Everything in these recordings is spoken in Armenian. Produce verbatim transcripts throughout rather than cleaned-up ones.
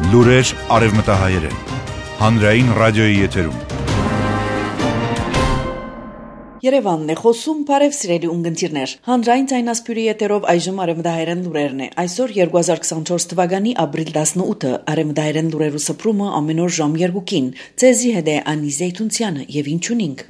Լուրեր արևմտահայերեն, հանրային ռադիոյի եթերում։ Երևանն է խոսում, բարև սիրելի ունգընտիրներ։ Հանրային ցայնասպյուրի եթերով այժմ արևմտահայերեն լուրերն է։ Այսօր երկու հազար քսանչորս թվականի ապրիլ տասնութը արևմտահայերեն լուրերու սփռումը ամեն օր ժամ երկուին։ Ցեզի հետ է Անի Զեյթունցյանը եւ ինչունինք։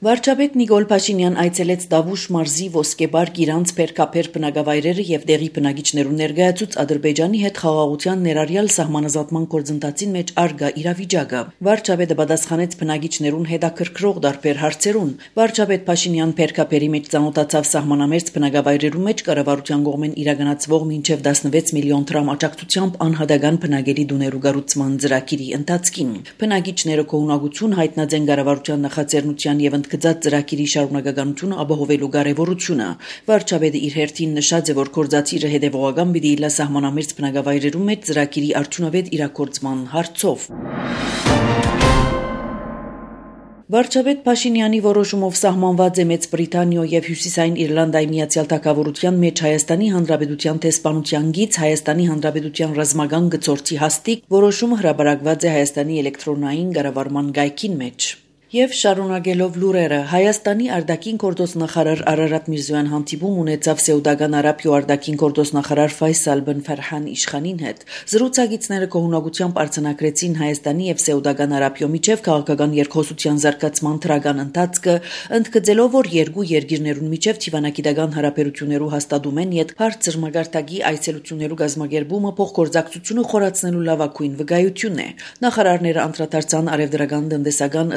Վարչապետ Նիկոլ Փաշինյան այցելեց Դավուշ մարզի Ոսկեբար Գիրանց Փերքափեր բնակավայրերը եւ դեղի բնակիչներուն ներկայացուց Ադրբեջանի հետ խաղաղության ներառյալ սահմանազատման գործընթացին մեջ արգա իրավիճակը։ Վարչապետը պատասխանեց բնակիչներուն հետաքրքրող դարբեր հարցերուն։ Վարչապետ Փաշինյան Փերքափերի մեջ ծանոթացավ սահմանամերձ բնակավայրերու մեջ կառավարության կողմեն իրականացվող մինչեւ տասնվեց միլիոն դրամ աջակցությամբ անհատական բնակելի դուներու կառուցման ծրագիրի ընթացքին։ Բնակիչները կողմնակություն հայտնած են կառավարության նախաձեռնության եւ գծած ծրագիրի շարունակականությունը ապահովելու կարևորությունը։ Վարչապետը իր հերթին նշած է, որ գործադիրը հետևողական պիտի իլա սահմանամերձ բնակավայրերում մեջ ծրագիրի արդյունավետ իրագործման հարցով։ Վարչապետ Փաշինյանի որոշումով սահմանված է Մեծ Բրիտանիա եւ Հյուսիսային Իռլանդիայի Միացյալ Թագավորության մեջ Հայաստանի Հանրապետության տեսփանության գիծ Հայաստանի Հանրապետության ռազմական գծորդի հաստիկ որոշումը հրապարակված է Հայաստանի էլեկտրոնային կառավարման գայքին մեջ։ Եվ շարունակելով լուրերը, Հայաստանի արտաքին գործոստնախարար Արարատ Միրզոյան հանդիպում ունեցավ Սեուդական Արաբիա արտաքին գործոստնախարար Ֆայսալ բն Ֆարհան Իշխանին հետ։ Զրուցակիցները կողմնակությամբ արձանագրեցին Հայաստանի եւ Սեուդական Արաբիա միջև քաղաքական երկխոսության զարգացման թրական ընթացքը, ընդգծելով, որ երկու երկիրներուն միջև թիվանագիտական հարաբերություններու հաստատումեն յետ բարձր մագարտակի այցելություններու գազագերբումը փոխգործակցությունը խորացնելու լավագույն վկայությունն է։ Նախարարները անդրադարձան արևդրական տնտեսական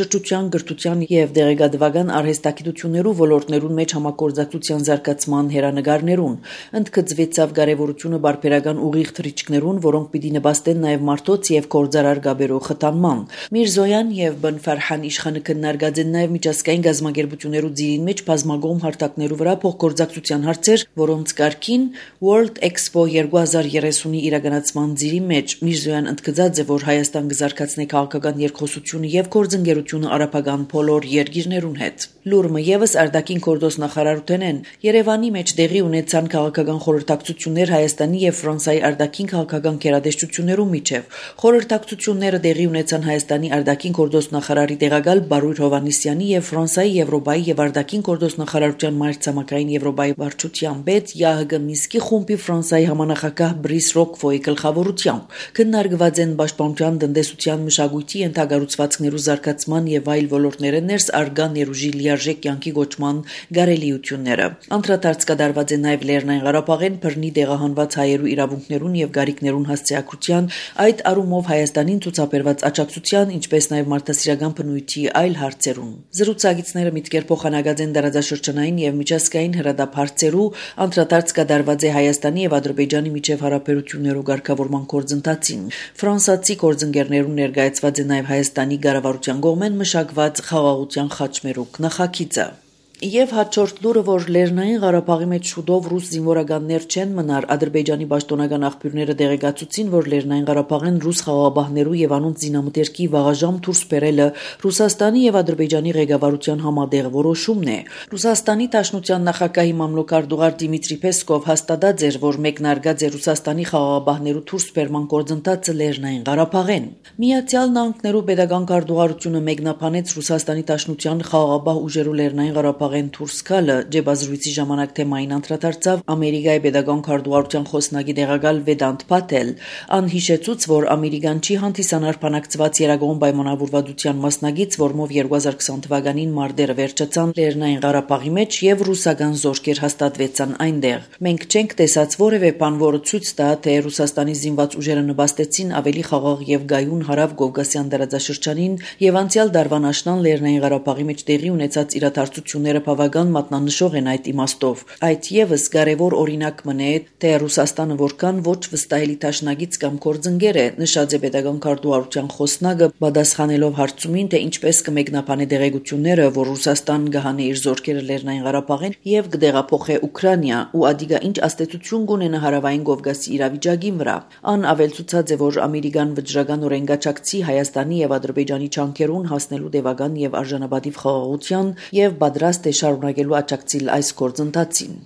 Շրջության, գրթության եւ դեղեկատվական արհեստագիտություններու ոլորտներուն մեջ համագործակցության զարգացման հերանեկարներուն, ընդգծվեցավ կարևորությունը բարբերական ուղիղ թռիչքներուն, որոնք պիտի նպաստեն նաեւ մարդոց եւ գործարար գաբերու խթանման։ Միրզոյան եւ բն Ֆարհան Իշխանը քննարկած են նաեւ միջազգային գազագերբություններու ձիրին մեջ բազմագոմ հարթակներու վրա փոխգործակցության հարցեր, որոնց կարգին World Expo երկու հազար երեսունի իրականացման ձիրի մեջ Միրզոյան ընդգծած է, որ Հայաստան կզարգացնի քաղաքական երկխոսությունը եւ գործընկերությունը արաբական բոլոր երկիրներուն հետ։ Լուրը եւս արտաքին գործոստնախարարութեն են Երևանի մեջ դեղի ունեցան քաղաքական խորհրդակցություններ Հայաստանի եւ Ֆրանսիայի արտաքին քաղաքական գերատեսչություններու միջև։ Խորհրդակցությունները դեղի ունեցան Հայաստանի արտաքին գործոստնախարարի տեղակալ Բարույր Հովհաննիսյանի եւ Ֆրանսիայի Եվրոպայի եւ արտաքին գործոստնախարարության մայրցամաքային Եվրոպայի վարչության պետ ԵԱՀԳ Մինսկի խումբի Ֆրանսիայի համանախագահ Բրիս Ռոկվոյի գլխավորությամբ։ Քննարկված են պաշտպանության, տնտեսության, մշակույթի ենթակառուցվածքներու զարգացման եւ այլ ոլորտները ներս արգա ներուժի լիարժեք կյանքի գոչման գարելիությունները։ Անդրադարձ կատարված է նաեւ Լեռնային Ղարաբաղեն բռնի տեղահանված հայերու իրավունքներուն եւ գարիքներուն հասցեակցության, այդ առումով Հայաստանին ցուցաբերված աջակցության, ինչպես նաեւ մարդասիրական բնույթի այլ հարցերուն։ Զրուցակիցները միտքեր փոխանակած են դարաձաշրջանային եւ միջազգային հրադապ հարցերու, անդրադարձ կատարված է Հայաստանի եւ Ադրբեջանի միջև հարաբերություններու ղեկավարման գործընթացին։ Ֆրանսիացի գործընկերներուն ներկայացված է նաեւ Հայաստանի կառավարության կողմեն մշակված խաղաղության խաչմերուկ նախագիծը։ Եվ հաջորդ լուրը, որ Լեռնային Ղարաբաղի մեջ շուտով ռուս զինվորականներ չեն մնար, Ադրբեջանի պաշտոնական աղբյուրները տեղեկացուցին, որ Լեռնային Ղարաբաղեն ռուս խաղաղապահներու եւ անոնց զինամթերքի վաղաժամ դուրս բերելը Ռուսաստանի եւ Ադրբեջանի ղեկավարության համատեղ որոշումն է։ Ռուսաստանի Դաշնության նախագահի մամլոքարտուղար Դիմիտրի Պեսկով հաստատած էր, որ մեկնարկած է Ռուսաստանի խաղաղապահներու դուրս բերման գործընթացը Լեռնային Ղարաբաղեն։ Միացյալ Նահանգներու պետական քարտուղարությունը մեկնաբանեց Ռուսաստանի Դաշնության խաղաղապահ ուժերու Լեռնային Ղարաբաղ Աղեն Թուրսկալը ջեբազրույցի ժամանակ թեմային անդրադարձավ Ամերիկայի պետական քարտուղարության խոսնակի տեղակալ Վեդանտ Փաթել, անհիշեցուց, որ ամերիկան չի հանդիսանար բանակցված երագոն պայմանավորվածության մասնագից, որմով երկու հազար քսան թվականին մարտերը վերջացան Լեռնային Ղարաբաղի մեջ եւ ռուսական զորքեր հաստատվեցան այնտեղ։ Մենք չենք տեսած որևէ բան, որը ցույց տա, թե Ռուսաստանի զինված ուժերը նպաստեցին ավելի խաղաղ եւ գայուն հարավ-կովկասյան տարածաշրջանին եւ անցյալ դարվան աշնան Լեռնային Ղարաբաղի մեջ տեղի ունեցած իրադարձությունները բավական մատնանշող են այդ իմաստով։ Այդ եւս կարևոր օրինակ մնե, թե Ռուսաստանը որքան ոչ վստահելի դաշնակից կամ գործընկեր է, նշած է պետական քարտուղարության խոսնակը, պատասխանելով հարցումին, թե ինչպես կմեկնաբանի դեղեցությունները, որ Ռուսաստան կհանի իր զորքերը Լեռնային Ղարաբաղին եւ կդեղափոխի Ուկրաինա, ու ադիգա ինչ աստեցություն կունենա հարավային Կովկասի իրավիճակին վրա։ Ան ավելցուցած է, որ ամերիկան վճռական օրենգաչակցի Հայաստանի եւ Ադրբեջանի չանքերուն հասնելու տևական եւ արժանապատիվ խաղաղության եւ պատրաստ է շարունակելու աջակցել այս գործընթացին։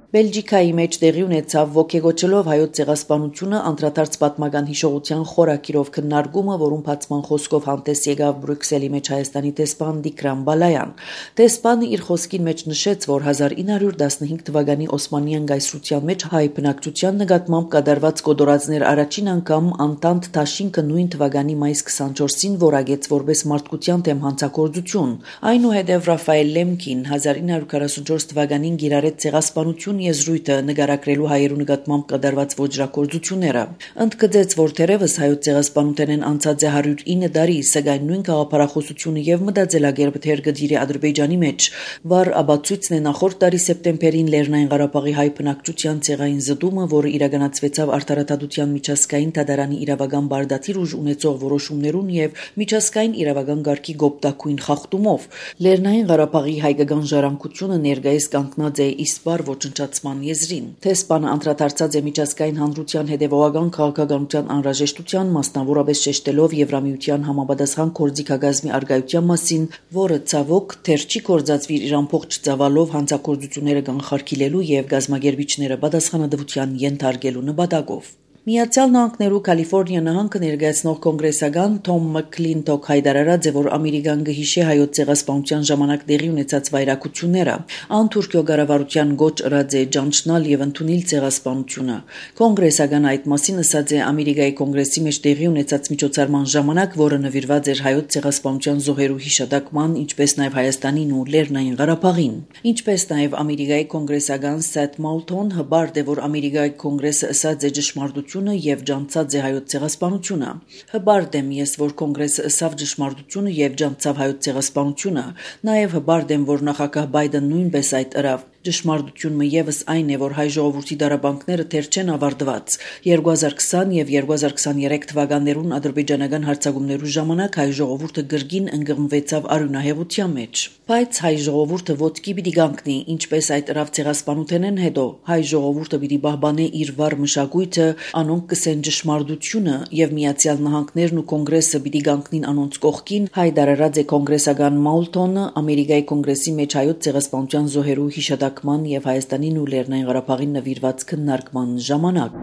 Բելգիկայի մեջ տեղի ունեցավ ոգեգոճելով հայոց ցեղասպանությունը անդրադարձ պատմական հիշողության խորակիրով քննարկումը, որում բացման խոսքով հանդես եկավ Բրյուսելի մեջ Հայաստանի տեսփան Դիկրան Բալայան։ Տեսփանը իր խոսքին մեջ նշեց, որ հազար ինը հարյուր տասնհինգ թվականի Օսմանյան գայսրության մեջ հայ բնակչության նկատմամբ կատարված կոդորածներ առաջին անգամ Անտանտ Թաշինքը նույն թվականի մայիս քսանչորսին որակեց որպես մարդկության դեմ հանցագործություն։ Այնուհետև Ռաֆայել Լեմկին հազար ինը հարյուր քառասունչորս թվականին գիրառեց ցեղասպանություն եզրույթը նկարագրելու հայերու նկատմամբ կատարված ոճրագործությունները։ Ընդգծեց, որ թերևս հայոց ցեղասպանութենեն անցած է հարյուր ինը տարի, սակայն նույն գաղափարախոսությունը եւ մտածելակերպը թեր գդիրի Ադրբեջանի մեջ, վառ աբացույցն է նախորդ տարի սեպտեմբերին Լեռնային Ղարաբաղի հայ բնակչության ցեղային զտումը, որը իրականացվեցավ Արտարադատության միջազգային դատարանի իրավական բարդաթիր ուժ ունեցող որոշումներուն եւ միջազգային իրավական գարկի գոպտակույն խախտումով։ Լեռնային Ղարաբաղի հայկական ժառանգությունը ներկայիս կանգնած է իսպար ոչնչացման եզրին։ Տեսփանը անդրադարձած է միջազգային հանրության հետևողական քաղաքականության անհրաժեշտության, մասնավորապես շեշտելով Եվրամիության համապատասխան գործիքագազմի արգայության մասին, որը ցավոք թեր չի կործածվիր իր ամբողջ ծավալով հանցագործությունները կանխարգելելու եւ գազագերբիչները պատասխանատվության ենթարկելու նպատակով։ Միացյալ Նահանգներու Կալիֆոռնիա նահանգը ներկայացնող կոնգրեսական Թոմ Մակլինտոք հայտարարած է, որ Ամերիկան գհիշե հայոց ցեղասպանության ժամանակ տեղի ունեցած վայրակությունները, անթուրքիո կառավարության գոչ ըրած է ճանչնալ եւ ընդունել ցեղասպանությունը։ Կոնգրեսական այդ մասին ասած է Ամերիկայի կոնգրեսի մեջ տեղի ունեցած միջոցառման ժամանակ, որը նվիրված էր հայոց ցեղասպանության զոհերու հիշատակման, ինչպես նաեւ Հայաստանին ու Լեռնային Ղարաբաղին։ Ինչպես նաեւ Ամերիկայի կոնգրեսական Սեթ Մոլթոն հբարդ է, որ Ամերիկայի կոնգրեսը ասած է ճշմարտություն եւ ջանցած է հայոց ցեղասպանությունը։ Հբարդ եմ ես, որ կոնգրեսը ըսավ ճշմարտությունը եւ ջանցավ հայոց ցեղասպանությունը։ Նաեւ հբարդ եմ, որ նախագահ Բայդեն նույնպես այդ ըրավ։ Ճշմարտությունը եւս այն է, որ հայ ժողովրդի դարաբանքները թեր չեն ավարտված։ երկու հազար քսան եւ երկու հազար քսաներեք թվականներուն ադրբեջանական հարձակումներու ժամանակ հայ ժողովուրդը գրգին ընկղմվեցավ արյունահեղության մեջ։ Բայց հայ ժողովուրդը ոտքի պիտի կանգնի, ինչպես այդ ըրավ ցեղասպանութենեն հետո հայ ժողովուրդը պիտի պահպանի իր վառ մշակույթը, անոնք կսեն ճշմարտությունը եւ Միացյալ Նահանգներն ու կոնգրեսը պիտի կանգնին անոնց կողքին, հայտարարած է կոնգրեսական Մոլթոնը Ամերիկայի կոնգրեսի մեջ հայոց ցեղասպանության զոհերու հիշատակման եւ Հայաստանին ու Լեռնային Ղարաբաղին նվիրված քննարկման ժամանակ։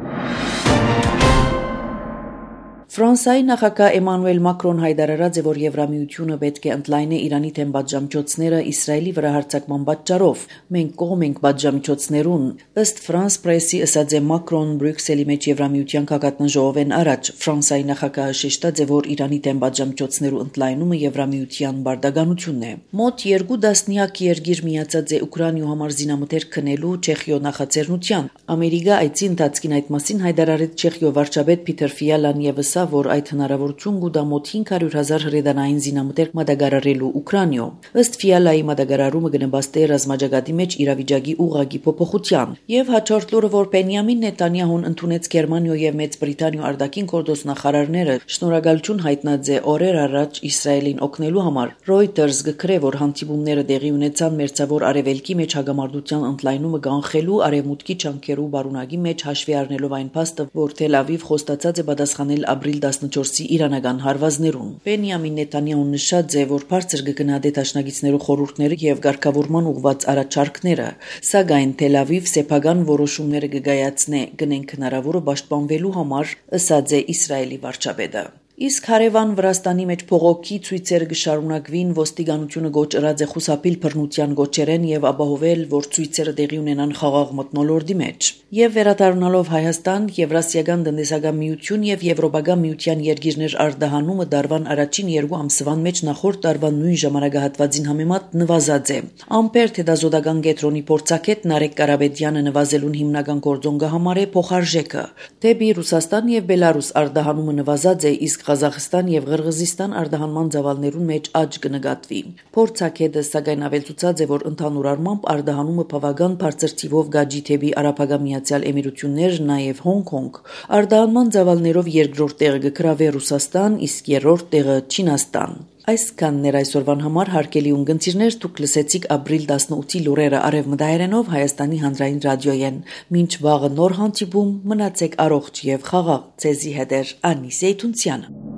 Ֆրանսիայի նախագահ Էմանուել Մակրոն հայտարարած է, որ Եվրամիությունը պետք է ընդլայնի Իրանի դեմ պատժամիջոցները Իսրայելի վրա հարձակման պատճառով։ Մենք կողմ ենք պատժամիջոցներուն։ Ըստ Ֆրանս պրեսի ասած է Մակրոն Բրյուսելի մեջ Եվրամիության քաղաքատնաժողովեն առաջ Ֆրանսիայի նախագահը շեշտած է, որ Իրանի դեմ պատժամիջոցներու ընդլայնումը Եվրամիության բարդականությունն է։ Մոտ երկու դասնյակ երկիր միացած է Ուկրաինայու համար զինամթերք քնելու Չեխիո նախաձեռնության։ Ամերիկա այցի ընթացքին այդ մասին հայտարարեց Չեխիո վարչապետ Պիտեր Ֆիալան եւ որ այդ հնարավորություն գուտա մոտ հինգ հարյուր հազար հրետանային զինամթերք մատակարարելու Ուկրաինայո։ Ըստ Ֆիալայի մատակարարումը կնպաստի ռազմաճակատի մեջ իրավիճակի ուղղակի փոփոխության։ Եվ հաջորդ լուրը, որ Բենյամին Նետանյահուն ընդունեց Գերմանիա եւ Մեծ Բրիտանիա արտաքին գործ նախարարները, շնորհակալություն հայտնած է օրեր առաջ Իսրայելին օգնելու համար։ Reuters գկրե, որ հանդիպումները տեղի ունեցան մերձավոր արևելքի մեջ հագամարտության ընդլայնումը կանխելու արևմուտքի ճանկերու բարունակի մեջ հաշվի առնելով այն փաստը, որ Թել Ավիվ խոստացած է պատասխանել ապրիլ տասնչորսի իրանական հարվածներուն։ Բենյամին Նետանյահուն նշած է, որ բարձր կգնա դետաշնագիցներու խորհուրդները եւ ղեկավարման ուղղված առաջարկները, սակայն Թել Ավիվ սեփական որոշումները կգայացնե գնենք հնարավորը պաշտպանվելու համար, ըսած է Իսրայելի վարչապետը։ Իսկ հարևան Վրաստանի մեջ փողոքի ցույցերը կշարունակվին, ոստիկանությունը գոչ ըրած է խուսափիլ բռնության գոչերեն եւ ապահովել, որ ցույցերը տեղի ունենան խաղաղ մթնոլորտի մեջ։ Եվ վերադառնալով Հայաստան, Եվրասիական տնտեսական միություն եւ Եվրոպական միության երկիրներ արտահանումը դարվան առաջին երկու ամսվան մեջ նախորդ տարվան նույն ժամանակահատվածին համեմատ նվազած է։ Ամպեր հետազոտական կենտրոնի փորձագետ Նարեկ Կարապետյանը նվազելուն հիմնական գործոն կհամարե փոխարժեքը։ Դեպի Ռուսաստան եւ Բելարուս արտահանումը նվազած է, իսկ Ղազախստան եւ Ղրղզստան արտահանման ծավալներուն մեջ աճ կնկատվի։ Փորձագետը սակայն ավելցուցած է, որ ընդհանուր առմամբ արտահանումը բավական բարձր թիվով գաջի թեպի Արաբական Միացյալ Էմիրություններ, նաեւ Հոնկոնգ։ Արտահանման ծավալներով երկրորդ տեղը կգրավի Ռուսաստան, իսկ երրորդ տեղը Չինաստան։ Այսքանն էր այսօրվան համար հարգելի ունգընտիրներ, դուք լսեցիք ապրիլ տասնութի լուրերը արևմտահայերենով Հայաստանի հանրային ռադիոյեն։ Մինչ վաղը նոր հանդիպում, մնացեք առողջ եւ խաղաղ։ Ձեզի հետ է Անի Զեյթունցյանը։